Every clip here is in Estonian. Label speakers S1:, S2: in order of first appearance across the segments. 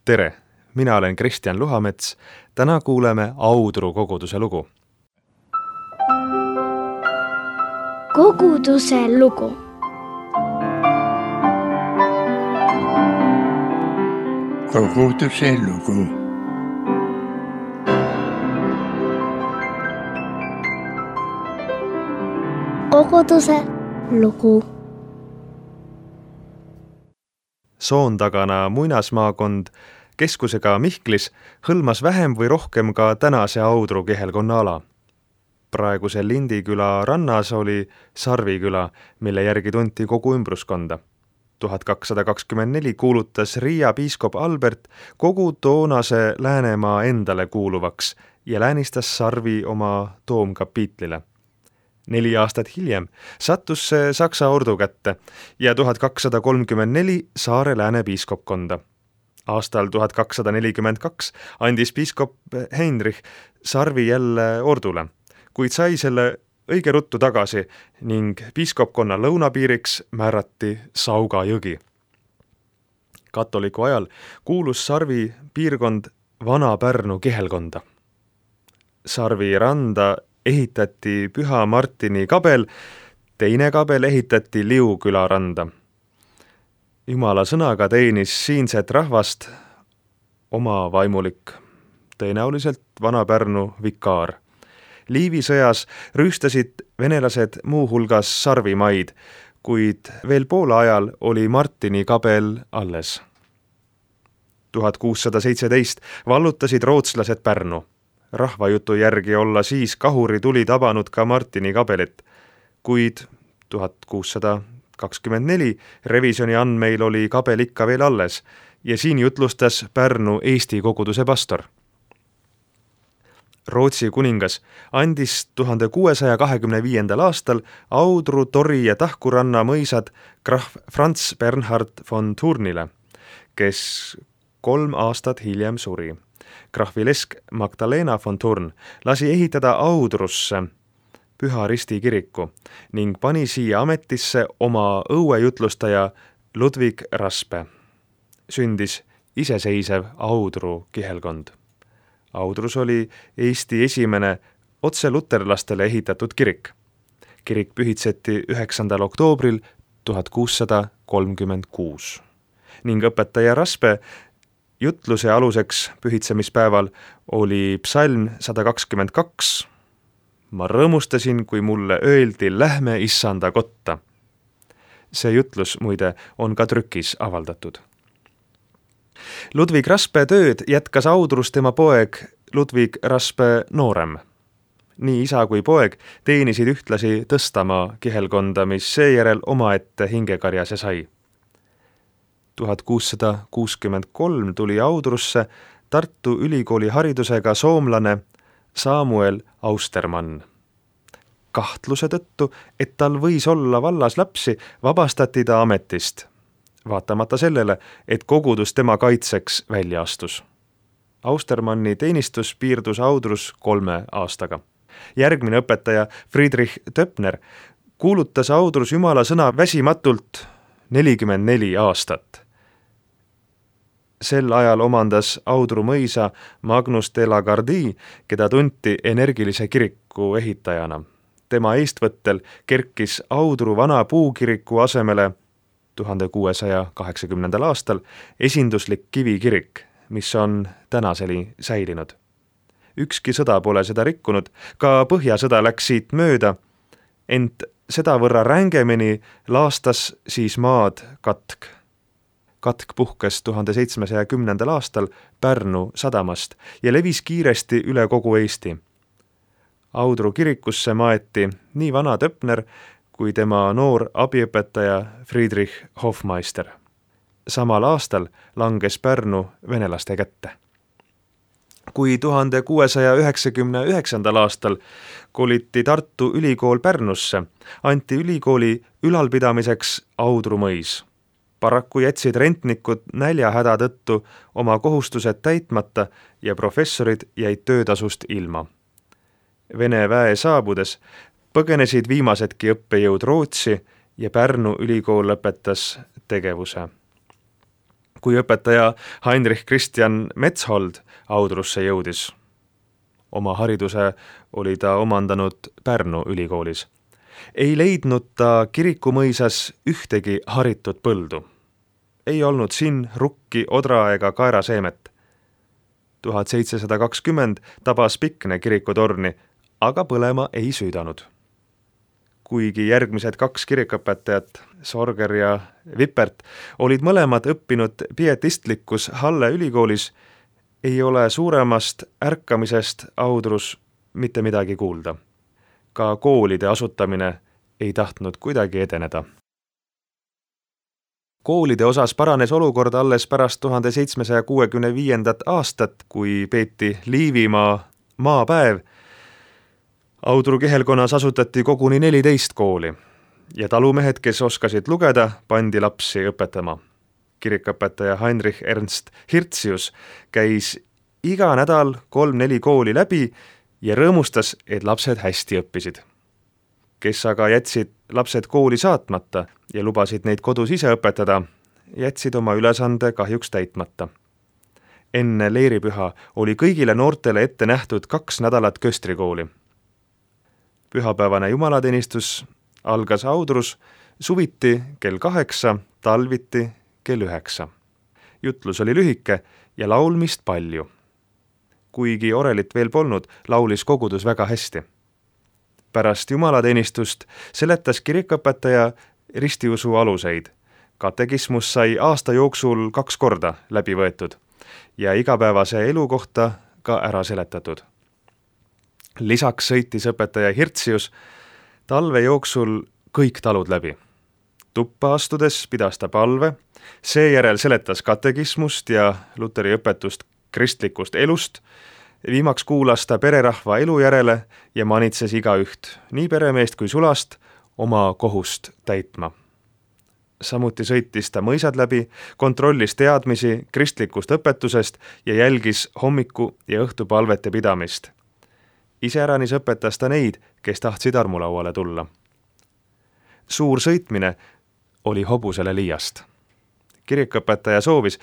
S1: Tere! Mina olen Kristjan Luhamets. Täna kuuleme Audru koguduse lugu.
S2: Koguduse lugu.
S3: Koguduse lugu.
S2: Koguduse lugu.
S1: Soontagana muinasmaakond keskusega Mihklis hõlmas vähem või rohkem ka tänase Audru kihelkonna ala. Praeguse Lindiküla rannas oli Sarviküla, mille järgi tunti kogu ümbruskonda. 1224 kuulutas Riia piiskop Albert kogu toonase Läänemaa endale kuuluvaks ja läänistas Sarvi oma toomkapiitlile. 4 aastat hiljem sattus see Saksa ordu kätte ja 1234 Saare lääne piiskopkonda. Aastal 1242 andis piiskop Heinrich Sarvi jälle ordule, kuid sai selle õige ruttu tagasi ning piiskopkonna lõunapiiriks määrati Sauga jõgi. Katoliku ajal kuulus Sarvi piirkond Vana-Pärnu kihelkonda. Sarvi randa ehitati Püha Martini kabel, teine kabel ehitati Liuküla randa. Jumala sõnaga teenis siinset rahvast oma vaimulik, tõenäoliselt Vana-Pärnu vikaar. Liivi sõjas rüüstasid venelased muu hulgas Sarvimaid, kuid veel Poola ajal oli Martini kabel alles. 1617 vallutasid rootslased Pärnu. Rahvajutu järgi olla siis kahuri tuli tabanud ka Martini kabelit, kuid 1624 revisjoni andmeil oli kabel ikka veel alles ja siin jutlustas Pärnu Eesti koguduse pastor. Rootsi kuningas andis 1625. aastal Audru, Tori ja Tahkuranna mõisad krahv Franz Bernhard von Thurnile, kes 3 aastat hiljem suri. Krahvilesk Magdalena von Thurn lasi ehitada Audrusse Püha Risti kiriku ning pani siia ametisse oma õuejutlustaja Ludwig Raspe. Sündis iseseisev Audru kihelkond. Audrus oli Eesti esimene otse luterlastele ehitatud kirik. Kirik pühitseti 9. oktoobril 1636 ning õpetaja Raspe jutluse aluseks pühitsemispäeval oli psalm 122. Ma rõõmustasin, kui mulle öeldi, lähme issanda kotta. See jutlus muide on ka trükis avaldatud. Ludwig Raspe tööd jätkas Audrus tema poeg Ludwig Raspe noorem. Nii isa kui poeg teenisid ühtlasi Tõstamaa kihelkonda, mis seejärel omaette hingekarjase sai. 1663 tuli Audrusse Tartu Ülikooli haridusega soomlane Samuel Austermann. Kahtluse tõttu, et tal võis olla vallas lapsi, vabastati ta ametist, vaatamata sellele, et kogudus tema kaitseks välja astus. Austermanni teenistus piirdus Audrus 3 aastaga. Järgmine õpetaja Friedrich Töpner kuulutas Audrus Jumala sõna väsimatult 44 aastat. Sel ajal omandas Audru mõisa Magnus de la Gardie, keda tunti energilise kiriku ehitajana. Tema eestvõttel kerkis Audru vana puukiriku asemele 1680. aastal esinduslik kivikirik, mis on tänaseni säilinud. Ükski sõda pole seda rikkunud, ka Põhjasõda läks siit mööda, ent sedavõrra rängemini laastas siis maad katk. Katk puhkes 1710. aastal Pärnu sadamast ja levis kiiresti üle kogu Eesti. Audru kirikusse maeti nii vana Töpner kui tema noor abiõpetaja Friedrich Hofmeister. Samal aastal langes Pärnu venelaste kätte. Kui 1699. aastal koliti Tartu Ülikool Pärnusse, anti ülikooli ülalpidamiseks Audru mõis. Paraku jätsid rentnikud näljahäda tõttu oma kohustused täitmata ja professorid jäid töötasust ilma. Vene väe saabudes põgenesid viimasedki õppejõud Rootsi ja Pärnu ülikool lõpetas tegevuse. kui õpetaja Heinrich Christian Metshold Audrusse jõudis. Oma hariduse oli ta omandanud Pärnu ülikoolis. Ei leidnud ta Kirikumõisas ühtegi haritud põldu. Ei olnud siin rukki, odra ega kaeraseemet. 1720 tabas Pikne kirikutorni, aga põlema ei süüdanud. Kuigi järgmised 2 kirikõpetajat, Sorger ja Vipert, olid mõlemad õppinud pietistlikus Halle ülikoolis, ei ole suuremast ärkamisest Audrus mitte midagi kuulda. Ka koolide asutamine ei tahtnud kuidagi edeneda. Koolide osas paranes olukord alles pärast 1765. aastat, kui peeti Liivimaa maapäev. Audru kihelkonnas asutati koguni 14 kooli ja talumehed, kes oskasid lugeda, pandi lapsi õpetama. Kirikõpetaja Heinrich Ernst Hirtsius käis iga nädal 3-4 kooli läbi ja rõõmustas, et lapsed hästi õppisid. Kes aga jätsid lapsed kooli saatmata ja lubasid neid kodus ise õpetada, jätsid oma ülesande kahjuks täitmata. Enne leeripüha oli kõigile noortele ette nähtud 2 nädalat köstrikooli. Pühapäevane jumalateenistus algas Audrus suviti kell 8, talviti kell 9. Jutlus oli lühike ja laulmist palju. Kuigi orelit veel polnud, laulis kogudus väga hästi. Pärast jumalateenistust seletas kirikõpetaja ristiusu aluseid. Katekismus sai aasta jooksul 2 korda läbi võetud ja igapäevase elu kohta ka ära seletatud. Lisaks sõitis õpetaja Hirtsius talve jooksul kõik talud läbi. Tuppa astudes pidas ta palve, seejärel seletas katekismust ja Luteri õpetust kristlikust elust, viimaks kuulas ta pererahva elu järele ja manitses igaüht, nii peremeest kui sulast, oma kohust täitma. Samuti sõitis ta mõisad läbi, kontrollis teadmisi kristlikust õpetusest ja jälgis hommiku- ja õhtupalvete pidamist. Iseäranis õpetas ta neid, kes tahtsid armulauale tulla. Suur sõitmine oli hobusele liiast. Kirikõpetaja soovis,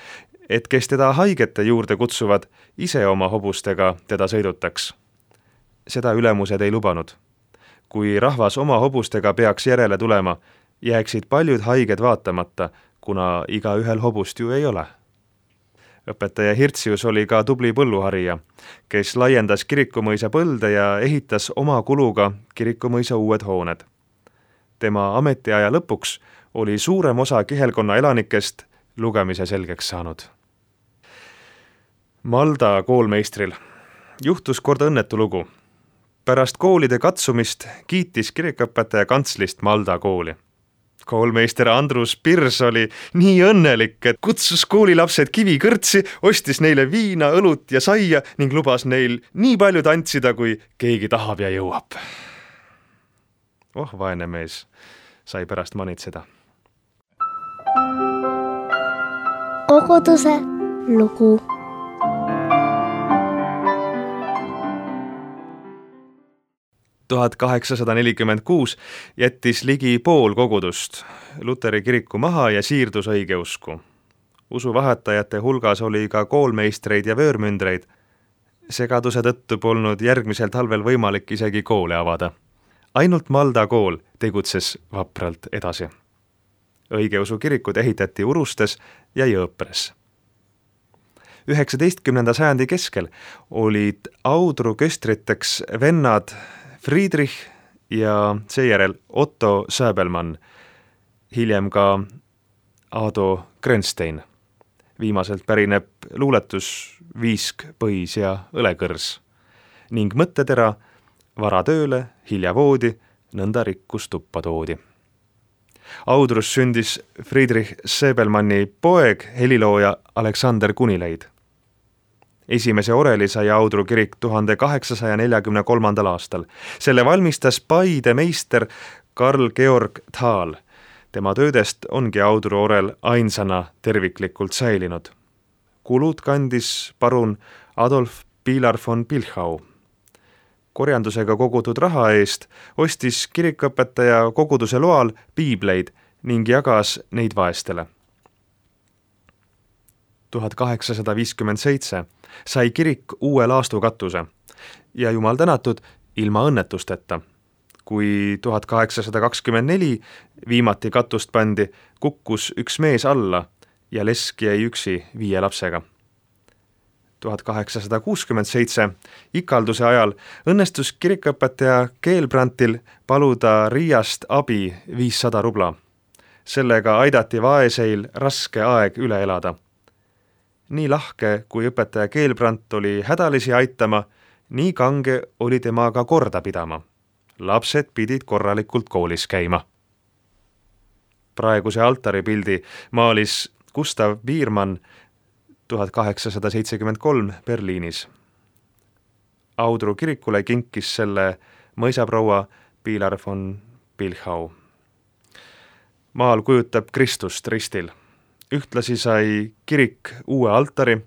S1: et kes teda haigete juurde kutsuvad, ise oma hobustega teda sõidutaks. Seda ülemused ei lubanud. Kui rahvas oma hobustega peaks järele tulema, jääksid paljud haiged vaatamata, kuna igaühel hobust ju ei ole. Õpetaja Hirtsius oli ka tubli põlluharija, kes laiendas Kirikumõisa põlde ja ehitas oma kuluga Kirikumõisa uued hooned. Tema ametiaja lõpuks oli suurem osa kihelkonna elanikest lugemise selgeks saanud. Malda koolmeistril juhtus kord õnnetu lugu. Pärast koolide katsumist kiitis kirikõpetaja kantslist Malda kooli. Koolmeister Andrus Pirs oli nii õnnelik, et kutsus koolilapsed kivikõrtsi, ostis neile viina, õlut ja saia ning lubas neil nii palju tantsida, kui keegi tahab ja jõuab. Vaene mees sai pärast manitseda.
S2: Koguduse lugu.
S1: Tuhat 1846 jättis ligi pool kogudust Luteri kiriku maha ja siirdus õigeusku. Usuvahetajate hulgas oli ka koolmeistreid ja vöörmündreid. Segaduse tõttu polnud järgmisel talvel võimalik isegi koole avada. Ainult Malda kool tegutses vapralt edasi. Õigeusu kirikud ehitati Urustes ja Jõõpres. 19. sajandi keskel olid Audru köstriteks vennad Friedrich ja seejärel Otto Säbelmann, hiljem ka Ado Grönstein. Viimaselt pärineb luuletus Viisk, põis ja õlekõrs ning mõttetera vara tööle, hilja voodi, nõnda rikkus tuppa toodi. Audrus sündis Friedrich Säbelmanni poeg, helilooja Aleksander Kunileid. Esimese oreli sai Audru kirik 1843. aastal. Selle valmistas Paide meister Karl Georg Thaal. Tema töödest ongi Audru orel ainsana terviklikult säilinud. Kulud kandis parun Adolf Pilar von Pilchau. Korjandusega kogutud raha eest ostis kirikõpetaja koguduse loal piibleid ning jagas neid vaestele. 1857 sai kirik uue laastukatuse ja jumal tänatud ilma õnnetusteta. Kui 1824 viimati katust pandi, kukkus üks mees alla ja lesk jäi üksi 5 lapsega. 1867 ikalduse ajal õnnestus kirikuõpetaja Keelbrandtil paluda Riiast abi 500 rubla. Sellega aidati vaeseil raske aeg üle elada. Nii lahke, kui õpetaja Keelbrand oli hädalisi aitama, nii kange oli temaga korda pidama. Lapsed pidid korralikult koolis käima. Praeguse altaripildi maalis Gustav Biermann 1873 Berliinis. Audru kirikule kinkis selle mõisaproua Pilar von Pilchau. Maal kujutab Kristust ristil. Ühtlasi sai kirik uue altari.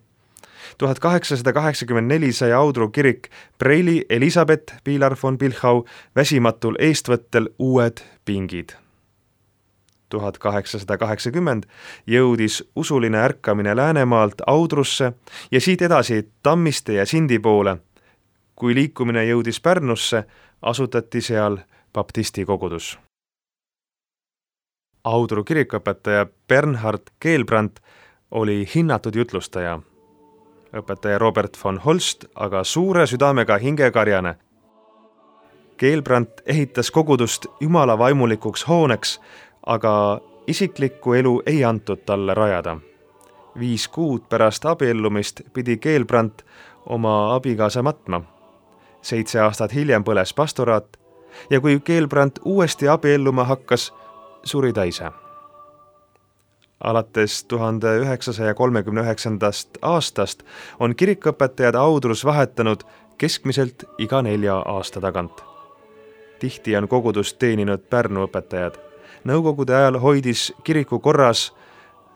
S1: 1884 sai Audru kirik preili Elisabeth Pilar von Pilchau väsimatul eestvõttel uued pingid. 1880 jõudis usuline ärkamine Läänemaalt Audrusse ja siit edasi Tammiste ja Sindi poole. Kui liikumine jõudis Pärnusse, asutati seal baptisti kogudus. Audru kirikuõpetaja Bernhard Keelbrand oli hinnatud jutlustaja. Õpetaja Robert von Holst aga suure südamega hingekarjane. Keelbrand ehitas kogudust jumala vaimulikuks hooneks, aga isiklikku elu ei antud talle rajada. 5 kuud pärast abiellumist pidi Keelbrand oma abikaasa matma. 7 aastat hiljem põles pastoraat ja kui Keelbrand uuesti abielluma hakkas, suri ta ise. Alates 1939. aastast on kirikuõpetajad Audrus vahetanud keskmiselt iga 4 aasta tagant. Tihti on kogudust teeninud Pärnu õpetajad. Nõukogude ajal hoidis kiriku korras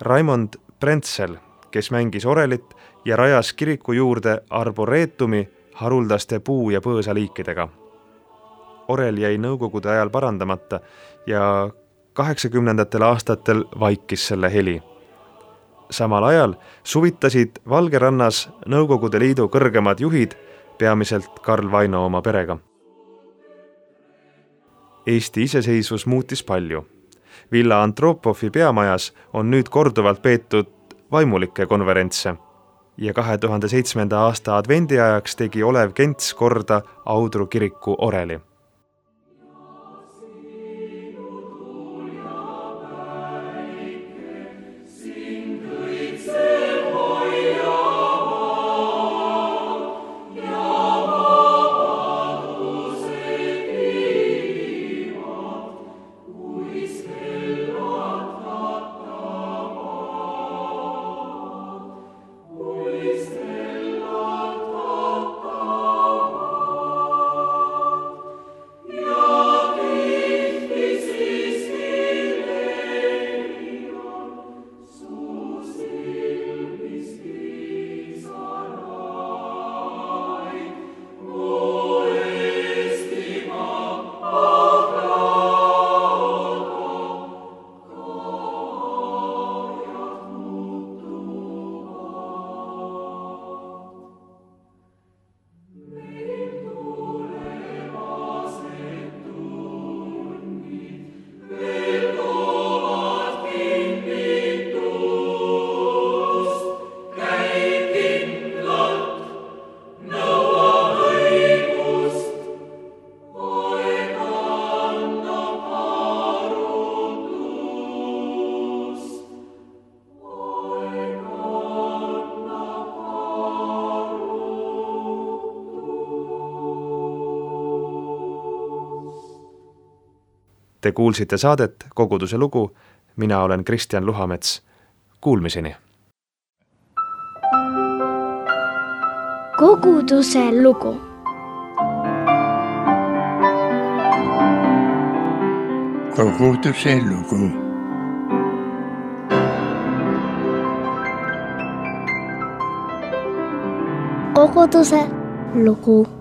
S1: Raimond Prentsel, kes mängis orelit ja rajas kiriku juurde arboreetumi haruldaste puu- ja põõsaliikidega. Orel jäi nõukogude ajal parandamata ja 80. aastatel vaikis selle heli. Samal ajal suvitasid Valgerannas Nõukogude Liidu kõrgemad juhid, peamiselt Karl Vaino oma perega. Eesti iseseisvus muutis palju. Villa Antropovi peamajas on nüüd korduvalt peetud vaimulikke konverentse ja 2007. aasta advendiajaks tegi Olev Kents korda Audru kiriku oreli. Te kuulsite saadet Koguduse lugu, mina olen Kristjan Luhamets. Kuulmiseni!
S2: Koguduse lugu.
S3: Koguduse lugu.
S2: Koguduse lugu.